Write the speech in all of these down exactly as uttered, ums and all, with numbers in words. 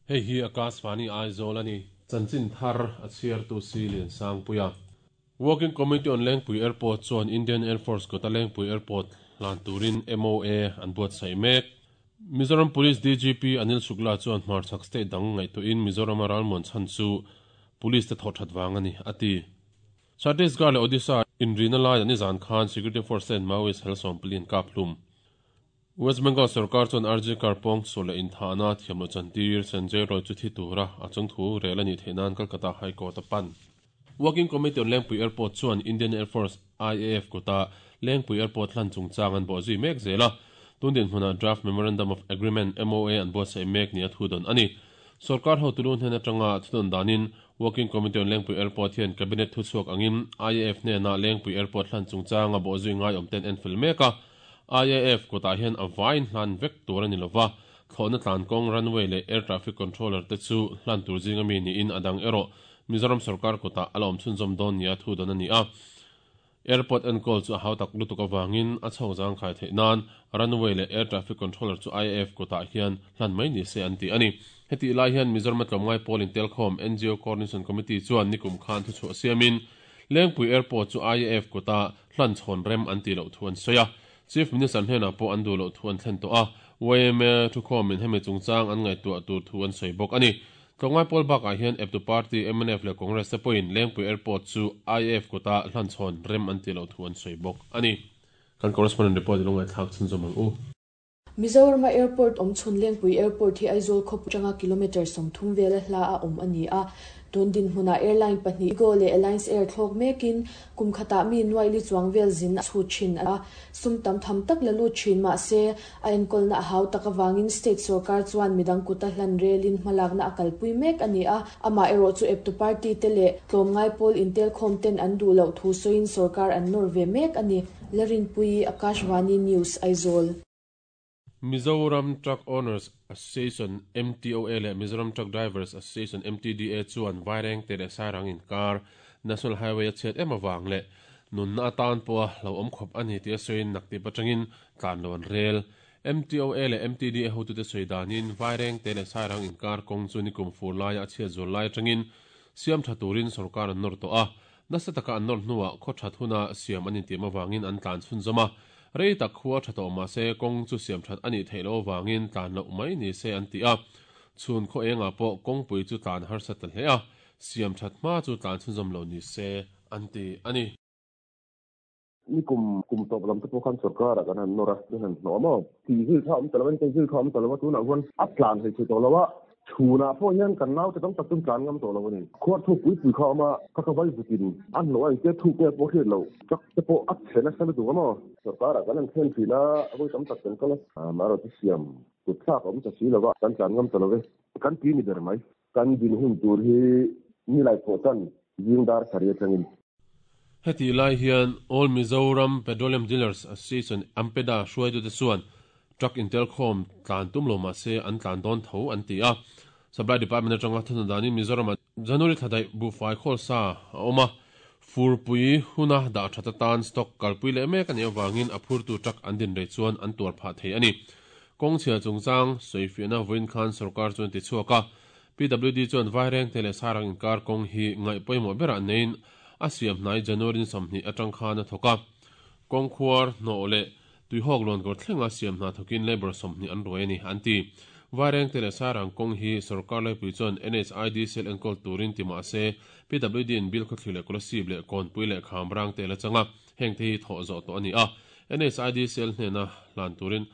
Hei hi Akashvani Aizawl ani. Chanchin thar a chhiartu si Lian Sangpuia. Working Committee on Lengpui Airport chuan Indian Air Force kota Lengpui Airport hlan turin M O A an buatsaih mek. Mizoram Police D G P Anil Shukla chuan hmarchhak state dang ngaihtuahin Mizoram a ralmuan chhan chu police te thawh that wang ani ati. Chhattisgarh leh Odisha inrina lai ani zan khan security force ten Maoist hel sawm pali an kap hlum. West Bengal sarkar chuan R G Kar pawngsual leh inthahna thiamlo chantir Sanjay Roy chu thi tura a chungthu rel ani theihnan Calcutta High Court a pan. Working Committee on Lengpui Airport chuan Indian Air Force I A F kota Lengpui Airport hlan chungchang an bawhzui mek zela. Tundin hmuna draft Memorandum of Agreement M O A an buatsaih mek ni a thu don ani. Sarkar hotulu hnen atanga thudon danin Working Committee on Lengpui Airport hian cabinet thu chuak angin I A F hne na Lengpui Airport hlan chungchang a bawhzui ngai awm ten en fel meka. I A F kota hian a vain hlan vek tur ani lova, thlawhna tlan kawng runway leh air traffic controller te chu hlan tur zinga mi ni in adang ero Mizoram sarkar kota alawm chhunzawm dawn nia thu don ani a. Airport enkawl chu a hautak lutuk awangin a chho zang khai theih nan runway leh air traffic controller chu I A F kota hian hlan mai ni se an ti ani. Heti lai hian Mizoram tlawmngai pawl in telkhawm N G O Coordination Committee chuan nikum khan thu chu siamin Lengpui Airport chu I A F kota hlan chhawn rem an ti lo thu an soya. Chief Minister hnena pawh an duh lo thu an thlen tawh a. Y M A thu khawmin hemi chungchang an ngaihtuah tur thu an sawi bawk ani. Tlawmngai pawl bakah hian eptu party M N F leh Congress te pawhin Lengpui Airport chu I A F kota hlan chhawn rem an ti lo thu an sawi bawk ani. Kan correspondent report lungai thlak chhunzawm ang u. Mizoram Airport awmchhun Lengpui Airport hi Aizawl khawpui atanga kilometre sawmthum vela hla a awm ani a. Tun dinhmunah airline pahnih IndiGo leh Alliance Air thlawk mekin kum khatah mi nuai li chuang vel zin a chhut thin a. Sum tam tham tak la lut thin mahse a enkawlna a hau tak awangin state sarkar chuan midang kuta hlan relin hmalakna a kalpui mek ani a. Amah erawh chu eptu party te leh tlawmngai pawl intelkhawm ten an duh loh thu sawiin sarkar an nawr ve mek ani. Larinpui, Akashvani News, Aizawl. Mizoram Truck Owners Association M T O A leh Mizoram Truck Drivers Association M T D A chuan Vaireng te leh Sairang inkar National Highway a chhiat em awang leh nunna atan pawha lo awm khawp ani ti a sawiin naktip atangin tlan lo an rel. M T O A leh M T D A hotute sawi danin Vaireng te leh Sairang inkar kawng chu nikum fur laia a chhiat zual lai atangin siam tha turin sarkar an nawr tawh a. Nasa taka an nawr hnuah khaw that huna siam an intiam awangin an tlan chhunzawm a. Rei tak khua tha tawh mahse kawng chu siam that ani theih lo awangin tlan loh mai ni se an ti a. Chhun khaw engah pawh kawngpui chu tlan harsa ta hle a, siam that hma chu tlan chhunzawm lo ni se an ti ani. Ni kum kum tawp lam te pawh khan sarkar a kan han nawr a, kan han hnawh maw ti zil kha awm ta lo ani, zil kha awm ta lo a. Tunah huan a tlan thei thei tawh lo a, chhunah pawh hian kan nau te tam tak chu tlan ngam tawh lo ani. Khuar thu pui pui kha awm a, kha ka vai vutin an hnawh a, engtia thuk nge pawh hriat lo, truck te pawh a chhe nasa lutuk a maw. Sarkar ah kan han thlen thin a, voi tam tak kan kal a, marawh chu siam kut thlak a awm ta si lo a, kan tlan ngam ta lo ve kan ti ni ber mai. Kan din hun tur hi ni lai pawh tan zing dar sarih atangin. Heti lai hian All Mizoram Petroleum Dealers Association Ampeda hruaitute chuan truck intelkhawm tlan tum lo mahse an tlan dawn tho an ti a. Supply Department atanga thuna danin Mizoram January thladai buhfai khawl sa a awm a, furpui huna dah that atan stock kalpui leh mek ani awangin a phurtu truck an din rei chuan an tuar phah thei ani. Kawng chhia chungchang sawifiahna vawiin khan sarkar chuan ti chhuak a. P W D chuan Vaireng te leh Sairang inkar kawng hi ngaih pawimawh berah nein a siam hnai January sawmhnih atang khan a thawk a. Kawng khuar hnawh leh tuihawk lawn kawr thlenga siam hna thawkin labour sawmhnih an ruai ani an ti. Vaireng te leh Sairang kawng hi sarkar laipui chuan N H I D C L enkawl turin ti mahse P W D in Bilkhawthlir leh Kolasib leh Kawnpui leh Khamrang te la changa, heng te hi thawh zawh tawh ani a. N H I D C L hnena hlan turin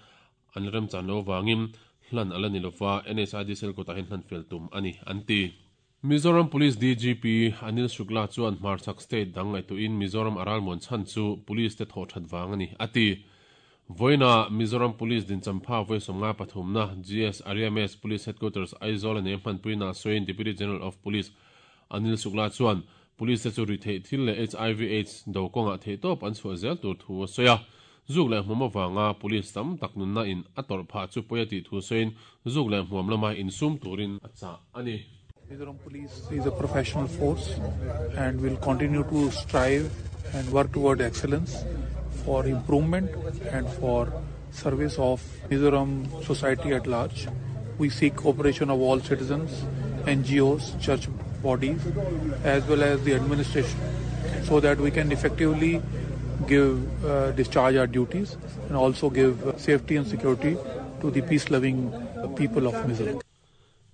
an remchan lo wangin hlan ala ni lova, N H I D C L kutah hian hlan fel tum ani an ti. Mizoram Police D G P Anil Shukla chuan hmarchhak state dang ngaihtuahin Mizoram a ralmuan chhan chu police te thawh that wang ani ati. Voina Mizoram Police din champha voi sawmnga pathumna G S R M S Police Headquarters Aizawl ane hmanpuina sawiin Deputy General of Police Anil Shukla chuan police te chu ri theih thil leh H I V AIDS do kawngah theih tawp an chhuah zel tur thu a sawi a. Zuk leh hmuam awanga police tam tak nunna in a tawrh phah chu pawi a tih thu sawiin zuk leh hmuam lama insum turin a chah ani. Mizoram Police is a professional force and will continue to strive and work toward excellence for improvement and for service of Mizoram society at large. We seek cooperation of all citizens, N G Os, church bodies, as well as the administration, so that we can effectively give, uh, discharge our duties and also give safety and security to the peace-loving people of Mizoram.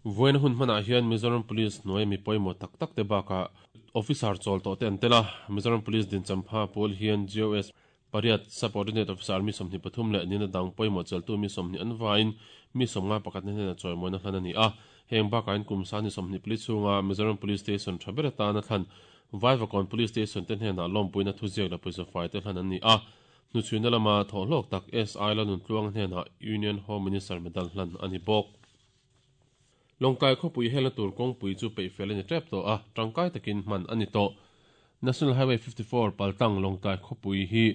Voin hun hmana hian Mizoram Police noi mi poimo tak tak te baka officer chol to te antela Mizoram Police din champha pol hian G O S pariat subordinate officer mi somni pathum le nina dang poimo cheltu mi somni anwain mi somnga pakat ne na choimoi na hlan ani a heng baka in kumsa ni somni police chunga Mizoram Police Station thabera ta na thlan Vaivakawn Police Station ten hena lawmpuina thuziak la pawisa fai te hlan ani a nu chhuina lama thawhlawk tak S I la nun tluang hnena Union Home Minister medal hlan ani bawk. Longkai khawpui hela tur kawngpui chu peih fel ani tep tawh a tangkai takin hman ani tawh. National Highway fifty-four paltang Longkai khawpui hi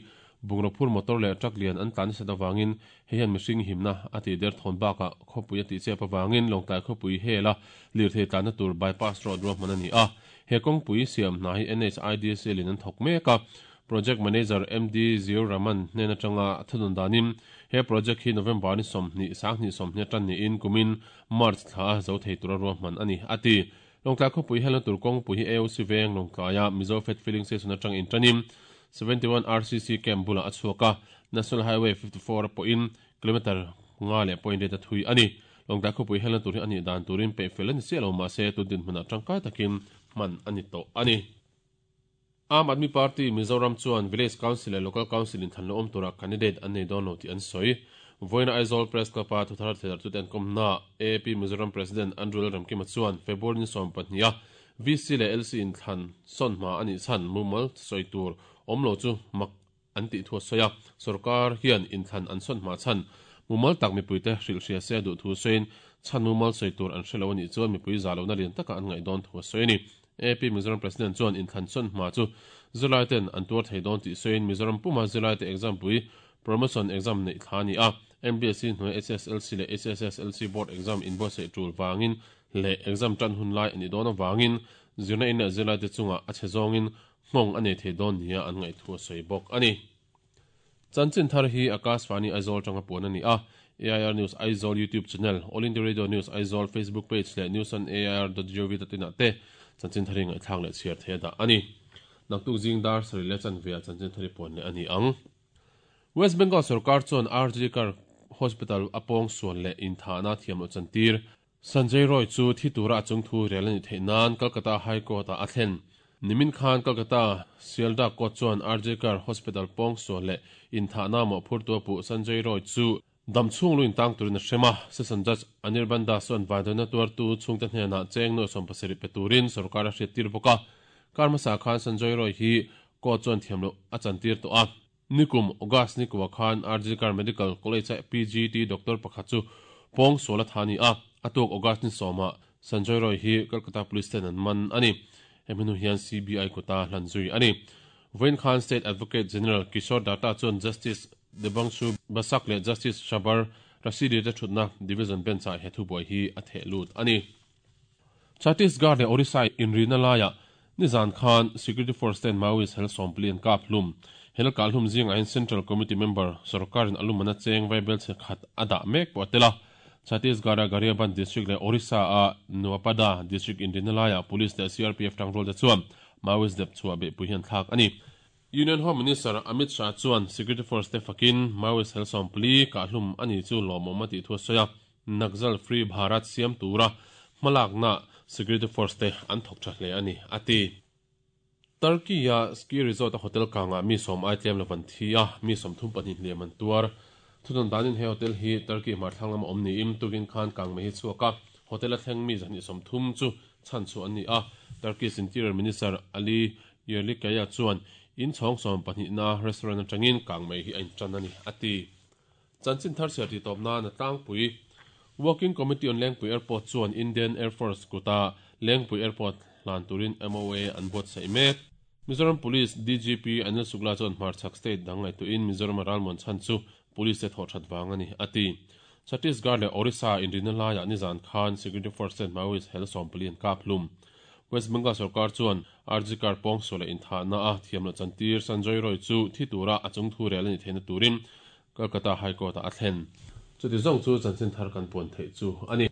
bungraw motor leh truck lian an tlan nasa awangin hei hian mihring himna a tih der thawn bakah khawpui a tih chep awangin Longkai khawpui hela lirthei tlanna tur bypass road ruahman ani a. He kawngpui siam hna hi N H I D S L in an thawk mek a. Project Manager M D Zio Raman hnena tanga thunun danin he project hi November ni somni sangni somni tan ni in kumin March thla zo thei tura ruahman ani ati. Longtlai khawpui hela tur kawngpui hi A O C veng Longtlaia Mizo Fed Filling Station atang in tanin seventy-one R C C camp bula achuaka National Highway fifty-four pawhin kilometer nga leh point eight a thui ani. Longtlai khawpui hela tur hi ani dan turin pe fel ani si lo ma se tu din hmuna tangkai takin man ani to ani. Aam Aadmi Party Mizoram chuan Village Council leh Local Council in thanlo awm tura candidate an nei dawn lo tih an sawi. Voina Aizawl Press Club a thuthar theihdar chu ten kawmna A P Mizoram President Andrew Ramkima chuan February ni sawm pahnih a V C leh L C in thlan sawn hma ani chhan mumal sawi tur awm lo chu mak an tih thu a sawi a. Sarkar hian in thlan an sawn hma chhan mumal tak mipuite hrilh hria se duh thu sawiin chhan mumal sawi tur an hrelo ani chuan mipui za lo na lian taka an ngaih dawn thu a sawi ani. A P Mizoram President chuan in thlan sawn hma chu Zulai ten an tuar thei dawn tih sawiin Mizoram puma Zulai te exam pui promotion exam nei thla ani a. M B S C hnuai H S L C leh H S S L C board exam in buatsaih tul wangin leh exam tan hun lai ani dawn awangin zirna in leh Zulai te chunga a che zawngin nghawng a nei thei dawn nia an ngaih thu a sawi bawk ani. Chanchin thar hi Akashvani Aizawl tanga puan ani a. A I R News Aizawl YouTube channel, All India Radio News Aizawl Facebook page leh news on A I R dot gov dot in ah te chanchin thari ngaih thlak leh chhiar thei da ani. Naktuk zing dar sari leh chanvia chanchin thari puan leh ani ang. West Bengal Sarkar chuan R G Kar Hospital apong suan leh in thana thiam lo chantir Sanjay Roy chu thi tura chung thu rel ani thei nan Kolkata High Court a thlen. Nimin Khan Kolkata Sealdah Court chuan R G Kar Hospital pong suan leh in thana mo phur tu pu Sanjay Roy chu damchhung luin tang turin a hrema. Session Judge Anirban Das chuan vaidana tuar tu chhungte hnenah cheng no sawm pasarih pe turin sarkar a hriat tir bawk a. Karmasa Khan Sanjay Roy hi court chuan thiam lo a chantir tawh a. Nikum August ni kuwa Khan R G Kar Medical College a P G T doctor pakhat chu pong suala thani a. Atuk August ni sawma Sanjay Roy hi Kolkata Police ten an man ani. Heminu hian C B I kota hlan zui ani. Voin Khan State Advocate General Kishore Datta chuan Justice Debangshu Basak leh Justice Shabar Rashidi te thutna Division Bench ah he thuboi hi a theh lut ani. Chhattisgarh leh Orissa inrina laia Nizan Khan Security Force ten Maoist hel sawmpli an kap hlum. Hel kal hlum zing ain Central Committee member sarkarin alumana cheng vaibel che khat ada mek pawh tela. Chhattisgarh Gariaband district leh Orissa a Nuapada district inrina laia police leh C R P F tangrol te chuan Maoist dep chua be pui hian thlak ani. Union Home Minister Amit Shah chuan Security Force te fakin Maoist hel sawmpli ka hlum ani chu lawmawm a tih thu a sawi a. Naxal Free Bharat siam tura hmalakna Security Force te an thawk tha hle ani ati. Turkey a ski resort a hotel kanga mi som ai tlem lavan thi a mi som thum pahnih hliam an tuar. Thudan danin he hotel hi Turkey hmar thlang lama awm ni im tukin khan kang mai hi chhuak a. Hotel a thleng mi zahnih som thum chu chhan chu an ni a. Turkey's Interior Minister Ali Yerlikaya chuan in chhawng sawm pahnih na restaurant atangin kang mai hi a in tan ani ati. Chanchin thar siar ti tawp na na tlangpui Working Committee on Lengpui Airport chuan Indian Air Force kuta Lengpui Airport hlan turin M O A an buatsaih mek. Mizoram Police D G P Anil Sukla chuan hmarchhak state dang ngaih tuin Mizoram ralmuan chhan chu police te thawh that wang ani ati. Chhattisgarh leh Orissa inrina laiah Nizan Khan Security Force ten Maoist hel sawmpli an kap hlum. West Bengal Sarkar chuan R G Kar pong suala in thana a thiam lo chantir Sanjay Roy chu thi tura a chung thu rel ani theina turin Kolkata High Court a thlen. Chuti zawng chu chanchin thar kan puan theih chu ani.